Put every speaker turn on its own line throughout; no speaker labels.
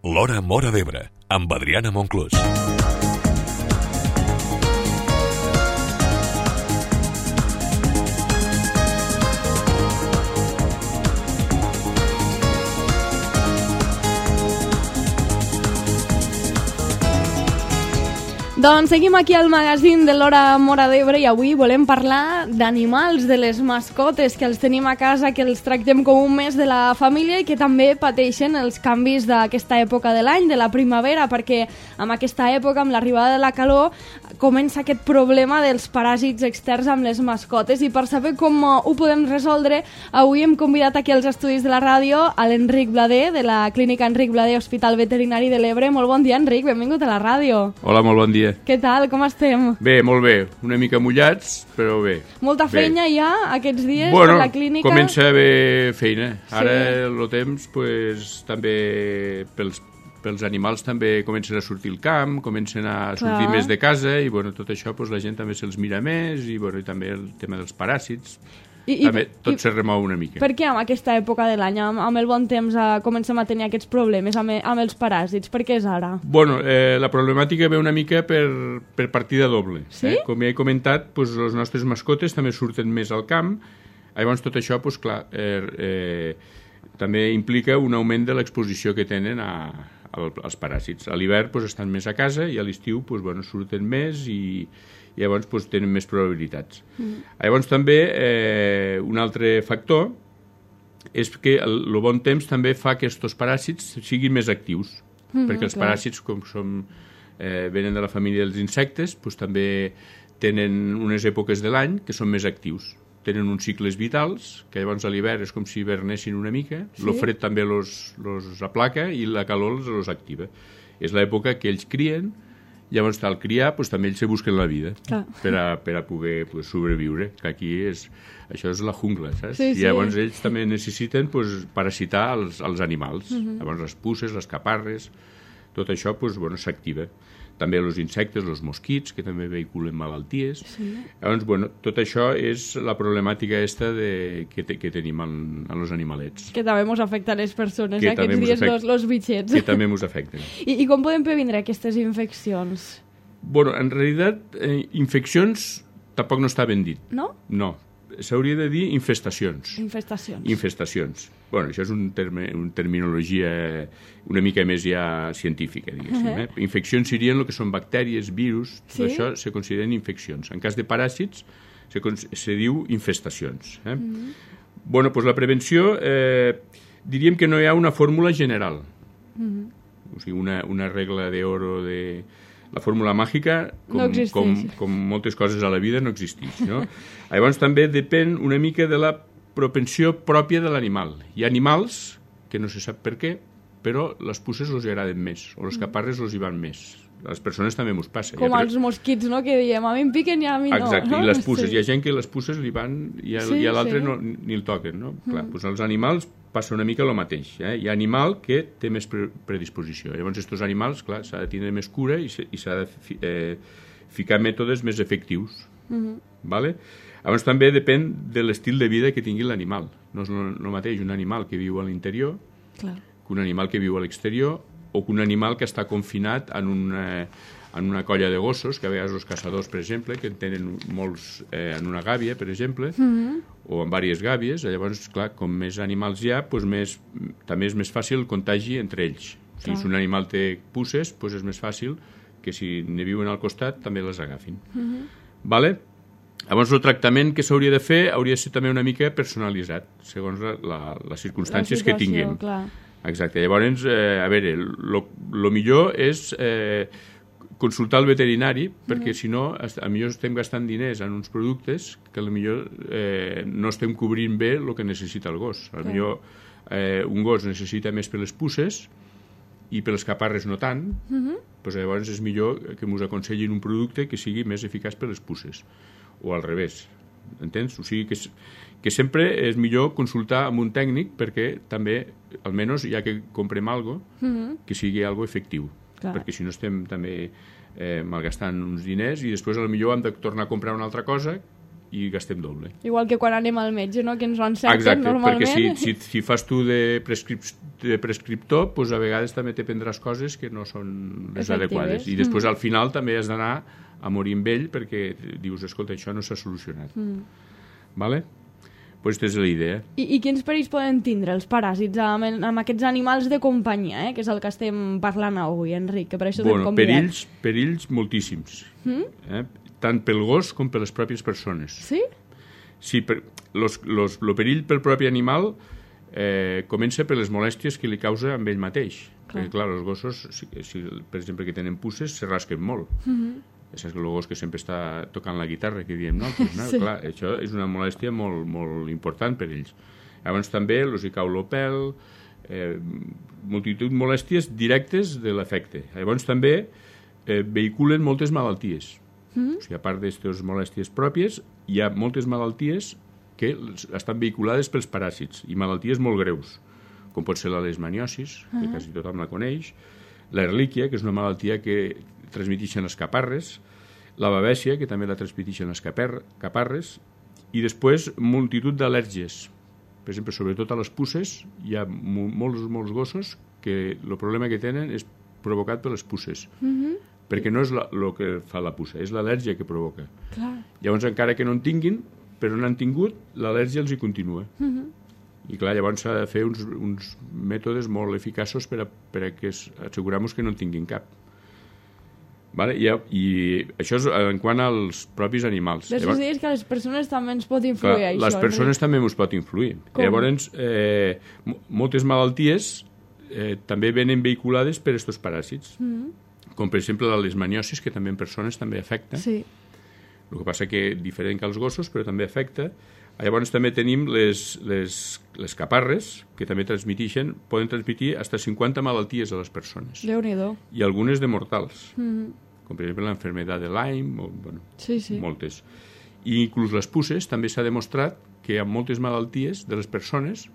L'Hora Móra d'Ebre, amb Adriana Monclús.
Doncs seguim aquí al magazín de l'Hora Móra d'Ebre i avui volem parlar d'animals, de les mascotes, que els tenim a casa, que els tractem com un mes de la família i que també pateixen els canvis d'aquesta època de l'any, de la primavera, perquè amb aquesta època, amb l'arribada de la calor, comença aquest problema dels paràsits externs amb les mascotes. I per saber com ho podem resoldre, avui hem convidat aquí als estudis de la ràdio a l'Enric Blader, de la clínica Enric Blader, Hospital Veterinari de l'Ebre. Molt bon dia, Enric, benvingut a la ràdio.
Hola, molt bon dia.
Què tal? Com estem?
Bé, molt bé. Una mica mullats, però bé.
Molta feina
bé.
Ja aquests dies per la clínica?
Bueno, comença a haver feina. Ara el temps, pues, també pels animals també comencen a sortir al camp, comencen a sortir més de casa i bueno, tot això pues, la gent també se'ls mira més i, bueno, i també el tema dels paràsits. També tot se remou una mica.
Per què amb aquesta època de l'any, amb el bon temps, comencem a tenir aquests problemes amb els paràsits? Per què és ara?
Bueno, la problemàtica ve una mica per partida doble.
Sí?
Com ja he comentat, pues, les nostres mascotes també surten més al camp. Llavors tot això, pues, clar, també implica un augment de l'exposició que tenen als paràsits. A l'hivern pues, estan més a casa i a l'estiu pues, bueno, surten més i llavors pues, tenen més probabilitats. Llavors també un altre factor és que el bon temps també fa que aquests paràsits siguin més actius, perquè els paràsits, com venen de la família dels insectes, pues, també tenen unes èpoques de l'any que són més actius. Tenen uns cicles vitals, que llavors a l'hivern és com si hivernessin una mica, el fred també los aplaca i la calor els activa. És l'època que ells crien, llavors al criar pues, també ells se busquen la vida per a poder pues, sobreviure, que aquí això és la jungla, saps?
Sí,
I llavors ells també necessiten pues, parasitar els animals, llavors les puces, les caparres, tot això pues, bueno, s'activa. També els insectes, els mosquits, que també vehiculen malalties. Sí. Llavors, bueno, tot això és la problemàtica que tenim en els animalets.
Que també ens afecta a les persones, aquests dies, els bitxets.
Que també ens afecten.
I com podem previndre aquestes infeccions?
Bueno, en realitat, infeccions tampoc no està ben dit.
No?
No. S'hauria de dir infestacions.
Infestacions.
Bueno, això és una terminologia una mica més ja científica, diguéssim. Infeccions serien el que són bactèries, virus, tot això se consideren infeccions. En cas de paràsits se diu infestacions. Bueno, doncs la prevenció diríem que no hi ha una fórmula general. O sigui, una regla d'oro de... La fórmula màgica, com moltes coses a la vida, no existeix. No? Llavors també depèn una mica de la propensió pròpia de l'animal. Hi ha animals, que no se sap per què, però les puces els agraden més, o les caparres els hi van més. A les persones també mos passa.
Com als mosquits, no?, que diem, a mi em piquen i a mi no.
Exacte, i les puces. Hi ha gent que les puces li van i a l'altre ni el toquen. No? Clar, doncs els animals passa una mica el mateix. Hi ha animal que té més predisposició. Llavors, aquests animals, clar, s'ha de tenir més cura i s'ha de ficar mètodes més efectius. Vale? Llavors, també depèn de l'estil de vida que tingui l'animal. No és el mateix un animal que viu a l'interior que un animal que viu a l'exterior o que un animal que està confinat en una colla de gossos, que a vegades els caçadors, per exemple, que en tenen molts en una gàbia, per exemple, o en diverses gàbies. Llavors, clar, com més animals hi ha, doncs també és més fàcil el contagi entre ells. O sigui, si un animal té puces, doncs és més fàcil que si ne viuen al costat també les agafin. Vale? Llavors, el tractament que s'hauria de fer hauria de ser també una mica personalitzat, segons les circumstàncies que tinguem. Exacte. Llavors, a veure, el millor és consultar el veterinari, perquè si no, potser estem gastant diners en uns productes que potser no estem cobrint bé el que necessita el gos. Potser un gos necessita més per les puces i per les caparres no tant, doncs llavors és millor que ens aconsellin un producte que sigui més eficaç per les puces, o al revés. Entens? O sigui que sempre és millor consultar amb un tècnic perquè també, almenys, ja que comprem alguna cosa, que sigui algo efectiu. Perquè si no estem també malgastant uns diners i després potser hem de tornar a comprar una altra cosa i gastem doble.
Igual que quan anem al metge, no? Que ens ho encerten normalment.
Exacte, perquè si fas tu de prescriptor, doncs a vegades també te prendràs coses que no són les adequades. I després al final també has d'anar a morir amb ell perquè dius, escolta, això no s'ha solucionat. Vale? Pues aquesta és la idea.
I quins perills poden tindre els paràsits amb aquests animals de companyia, que és el que estem parlant avui, Enric, que per això t'hem convidat?
Perills moltíssims. Tant pel gos com per les pròpies persones.
Sí? Sí,
el perill pel propi animal comença per les molèsties que li causa amb ell mateix. Perquè, clar, els gossos, per exemple, que tenen puces, se rasquen molt. És el gos que sempre està tocant la guitarra, que diem nosaltres, no? Sí. Clar, això és una molèstia molt, molt important per ells. Llavors també els hi cau el pèl, multitud de molèsties directes de l'efecte. Llavors també vehiculen moltes malalties. O sigui, a part d'aquestes molèsties pròpies, hi ha moltes malalties que estan vehiculades pels paràsits, i malalties molt greus, com pot ser la leishmaniosis, que quasi tothom la coneix, l'erlíquia, que és una malaltia que transmeteixen les caparres, la babèsia, que també la transmeteixen les caparres, i després multitud d'al·lèrgies. Per exemple, sobretot a les puces, hi ha molts gossos que el problema que tenen és provocat per les puces. Perquè no és el que fa la puça, és l'al·lèrgia que provoca. Clar. Llavors, encara que no en tinguin, però no han tingut, l'al·lèrgia els hi continua. I clar, llavors s'ha de fer uns mètodes molt eficaços per a que assegurar-nos que no en tinguin cap. Vale? I això és en quant als propis animals.
Després dius que a les persones també ens pot influir això.
Les persones també ens pot influir. Llavors, moltes malalties també venen vehiculades per aquests paràsits. Com per exemple la leishmaniosis, que també en persones també afecta. Sí. El que passa que diferent que els gossos, però també afecta. Llavors també tenim les caparres, que també poden transmitir fins a 50 malalties a les persones.
Déu-n'hi-do.
I algunes de mortals. Com per exemple l'enfermedad de Lyme, moltes. I inclús les puces també s'ha demostrat que hi ha moltes malalties de les persones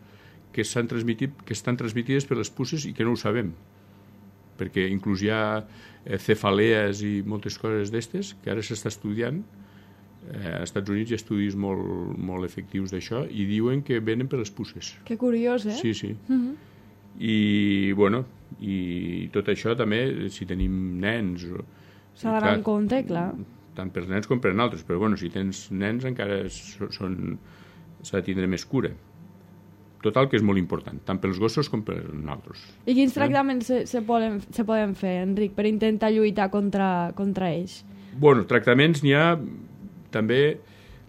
que estan transmitides per les puces i que no ho sabem. Perquè inclús hi ha cefalees i moltes coses d'estes que ara s'està estudiant. Als Estats Units hi ha estudis molt efectius d'això i diuen que venen per les puces.
Que curiós, eh?
Sí. I tot això també, si tenim nens...
S'ha d'anar en compte, clar.
Tant per nens com per altres, però si tens nens encara s'ha de tindre més cura. Total, que és molt important, tant pels gossos com per nosaltres.
I quins tractaments se poden fer, Enric, per intentar lluitar contra ells?
Tractaments n'hi ha també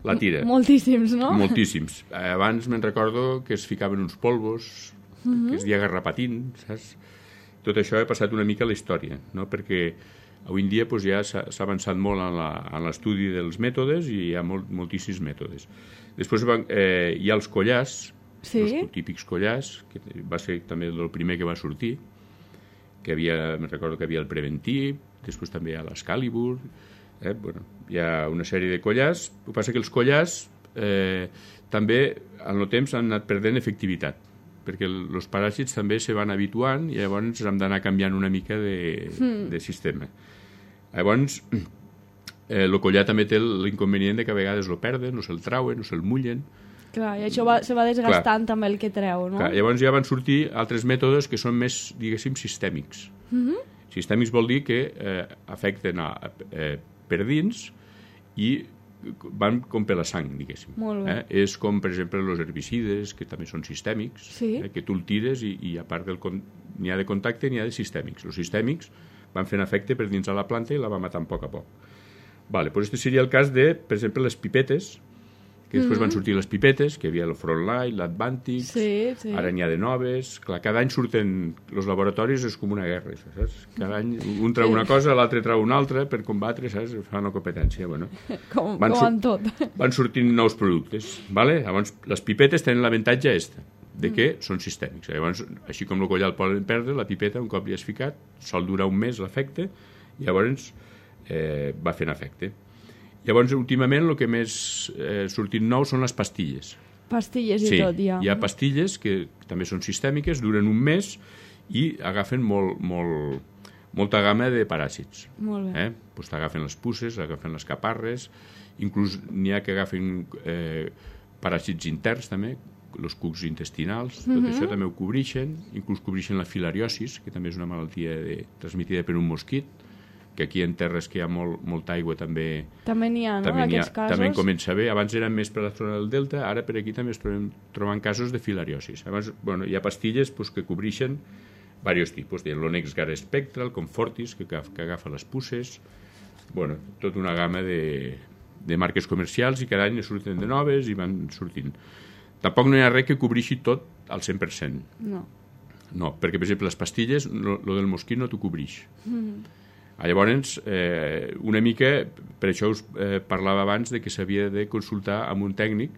la tira.
Moltíssims, no?
Moltíssims. Abans me'n recordo que es ficaven uns polvos, que es deia garrapatín, saps? Tot això ha passat una mica a la història, no? Perquè avui en dia ja s'ha avançat molt en l'estudi dels mètodes i hi ha moltíssims mètodes. Després hi ha els collars, els típics collars, que va ser també el primer que va sortir, que me'n recordo que hi havia el Preventiv, després també hi ha l'Excalibur, hi ha una sèrie de collars. El que passa que els collars també en el temps han anat perdent efectivitat, perquè els paràsits també se van habituant i llavors hem d'anar canviant una mica de sistema. Llavors, el collar també té l'inconvenient que a vegades el perden, no se'l trauen, no se'l mullen.
Clar, i això se va desgastant també el que treu, no?
Clar, llavors ja van sortir altres mètodes que són més, diguéssim, sistèmics. Sistèmics vol dir que afecten per dins i van com per la sang, diguéssim.
Molt bé.
És com, per exemple, els herbicides, que també són sistèmics, que tu el tires i a part n'hi ha de contacte n'hi ha de sistèmics. Els sistèmics van fent efecte per dins de la planta i la va matant a poc a poc. Doncs aquest seria el cas de, per exemple, les pipetes, que després van sortir les pipetes, que hi havia el Frontline, l'Advantix, ara n'hi ha de noves. Clar, cada any surten els laboratoris, és com una guerra, saps? Cada any un treu una cosa, l'altre treu una altra per combatre, saps? Fa una competència,
Com en tot.
Van sortint nous productes, vale? Llavors, les pipetes tenen l'avantatge de que són sistèmics. Llavors, així com el collar el poden perdre, la pipeta, un cop li has ficat, sol durar un mes l'efecte, i llavors va fent efecte. Llavors, últimament, el que més sortit nou són les pastilles.
Pastilles i tot, ja.
Hi ha pastilles que també són sistèmiques, duren un mes i agafen molt molta gamma de paràsits.
Molt bé.
Pues t'agafen les puces, agafen les caparres, inclús n'hi ha que agafen paràsits interns també, els cucs intestinals, tot això també ho cobreixen, inclús cobreixen la filariosis, que també és una malaltia transmitida per un mosquit, que aquí en terres que hi ha molta aigua també
n'hi ha, no?, en aquests casos.
També comença bé. Abans eren més per la zona del delta, ara per aquí també es troben casos de filariosis. Abans, hi ha pastilles que cobreixen diversos tipus. L'Onex Gar Spectral, Comfortis, que agafa les puces, tota una gamma de marques comercials, i cada any ne surten de noves i van sortint. Tampoc no hi ha res que cobreixi tot al 100%. No, perquè, per exemple, les pastilles, lo del mosquit no t'ho cobreix. Llavors, una mica, per això us parlava abans de que s'havia de consultar amb un tècnic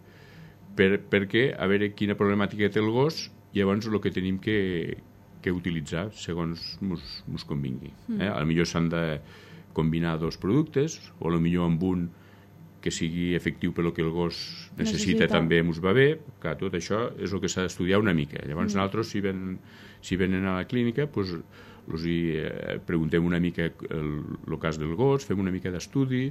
perquè a veure quina problemàtica té el gos, i llavors el que tenim que utilitzar segons ens convingui. Potser s'han de combinar dos productes, o potser amb un que sigui efectiu per el que el gos necessita també ens va bé. Clar, tot això és el que s'ha d'estudiar una mica. Llavors nosaltres, si venen a la clínica, els preguntem una mica el cas del gos, fem una mica d'estudi,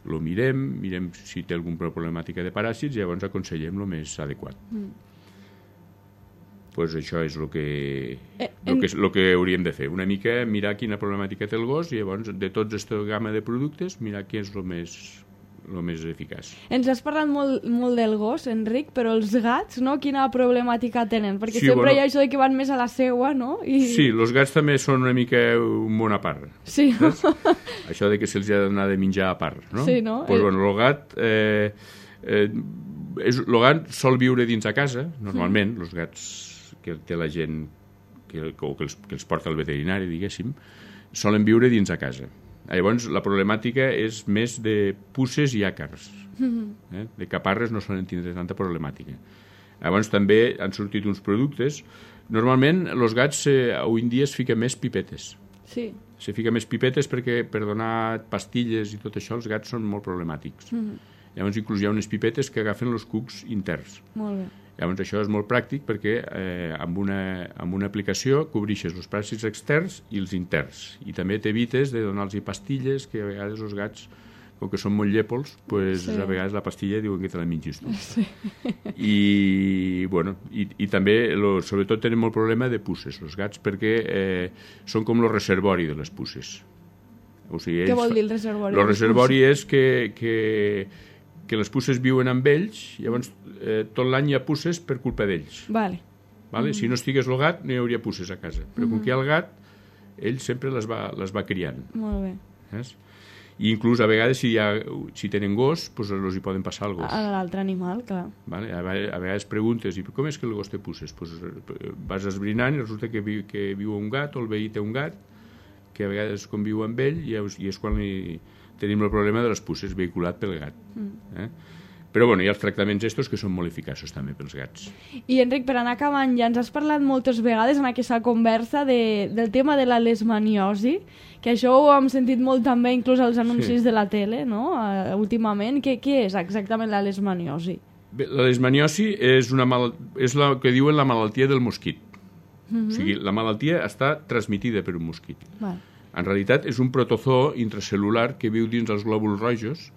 el mirem si té alguna problemàtica de paràsits, i llavors aconsellem el més adequat. Això és el que hauríem de fer. Una mica mirar quina problemàtica té el gos, i llavors de tots aquesta gamma de productes mirar què és el més eficaç.
Ens has parlat molt del gos, Enric, però els gats, no? Quina problemàtica tenen? Perquè sempre hi ha això de que van més a la seua, no?
Sí, els gats també són una mica un món a part.
Sí, no?
Això de que se'ls ha d'anar de menjar a part, no?
Sí, no?
El gat... el gat sol viure dins a casa, normalment, els gats que té la gent que els porta al veterinari, diguéssim, solen viure dins a casa. Llavors, la problemàtica és més de puces i àcars. De caparres no solen tindre tanta problemàtica. Llavors, també han sortit uns productes. Normalment, els gats avui en dia es fiquen més pipetes.
Sí.
Se fiquen més pipetes perquè per donar pastilles i tot això els gats són molt problemàtics. Llavors, inclús hi ha unes pipetes que agafen els cucs interns.
Molt bé.
Llavors, això és molt pràctic perquè amb una aplicació cobreixes els paràsits externs i els interns. I també t'evites de donar-los pastilles, que a vegades els gats, com que són molt llepols, a vegades la pastilla diuen que te la mengis tu.
Sí.
I també, sobretot, tenen molt problema de puces, els gats, perquè són com el reservori de les puces. O sigui,
què vol dir el reservori?
El reservori és que les puces viuen amb ells, llavors tot l'any hi ha puces per culpa d'ells.
Vale.
Si no estigués el gat, no hi hauria puces a casa. Però com que hi ha el gat, ell sempre les va criant.
Molt bé.
I inclús a vegades si tenen gos, els hi poden passar al gos.
A l'altre animal, clar.
A vegades preguntes, i com és que el gos té puces? Vas esbrinant i resulta que viu un gat, o el veí té un gat, que a vegades conviu amb ell, i és quan tenim el problema de les puces vehiculat pel gat. Però hi ha els tractaments estos que són molt eficaços també pels gats.
I Enric, per anar acabant, ja ens has parlat moltes vegades en aquesta conversa del tema de la leishmaniosi, que això ho hem sentit molt també inclús als anuncis de la tele, no? Últimament. Què és exactament la leishmaniosi?
Bé, la leishmaniosi és el que diuen la malaltia del mosquit. O sigui, la malaltia està transmitida per un mosquit. En realitat és un protozoo intracel·lular que viu dins els glòbuls rojos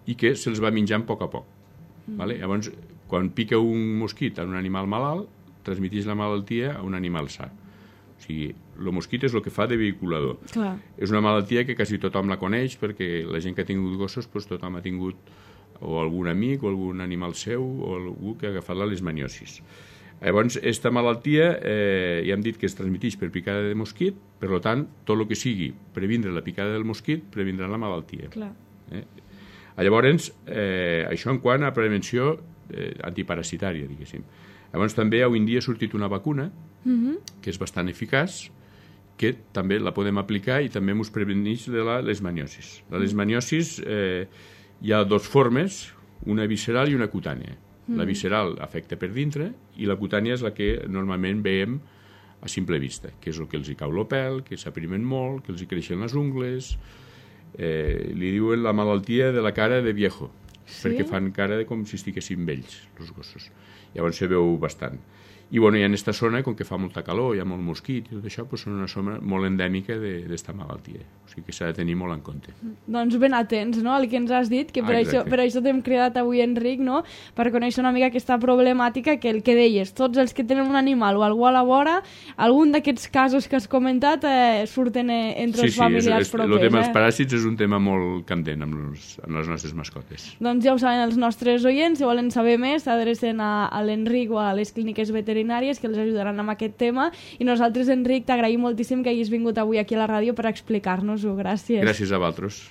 i que se'ls va menjant a poc. Llavors, quan pica un mosquit en un animal malalt, transmeteix la malaltia a un animal sa. O sigui, el mosquit és el que fa de vehiculador.
Clar. És
una malaltia que quasi tothom la coneix, perquè la gent que ha tingut gossos, tothom ha tingut o algun amic o algun animal seu o algú que ha agafat la leishmaniosis. Llavors, aquesta malaltia ja hem dit que es transmeteix per picada de mosquit, per tant, tot el que sigui previndre la picada del mosquit, previndrà la malaltia.
Clar.
Llavors, això en quant a prevenció antiparasitària, diguéssim. Llavors, també avui en dia ha sortit una vacuna que és bastant eficaç, que també la podem aplicar i també ens preveneix de la leishmaniosis. La leishmaniosis hi ha dues formes, una visceral i una cutània. La visceral afecta per dintre i la cutània és la que normalment veiem a simple vista, que és el que els hi cau el pèl, que s'aprimen molt, que els hi creixen les ungles. Li diuen la malaltia de la cara de viejo, perquè fan cara com si estiguessin vells, els gossos. Llavors se veu bastant. I bueno, i en aquesta zona, com que fa molta calor, hi ha molt mosquit i tot això, doncs són una zona molt endèmica d'esta malaltia. O sigui que s'ha de tenir molt en compte.
Doncs ben atents, no?, al que ens has dit, que per això t'hem cridat avui, Enric, no?, per conèixer una mica aquesta problemàtica, que el que deies, tots els que tenen un animal o algú a la vora, algun d'aquests casos que has comentat surten entre els familiars propers.
El tema dels paràsits és un tema molt candent amb les nostres mascotes.
Doncs ja ho saben els nostres oients, si volen saber més, s'adrecen a l'Enric o a les clíniques veterinàries que els ajudaran amb aquest tema, i nosaltres, Enric, t'agraïm moltíssim que hagis vingut avui aquí a la ràdio per explicar-nos-ho. Gràcies.
Gràcies a vosaltres.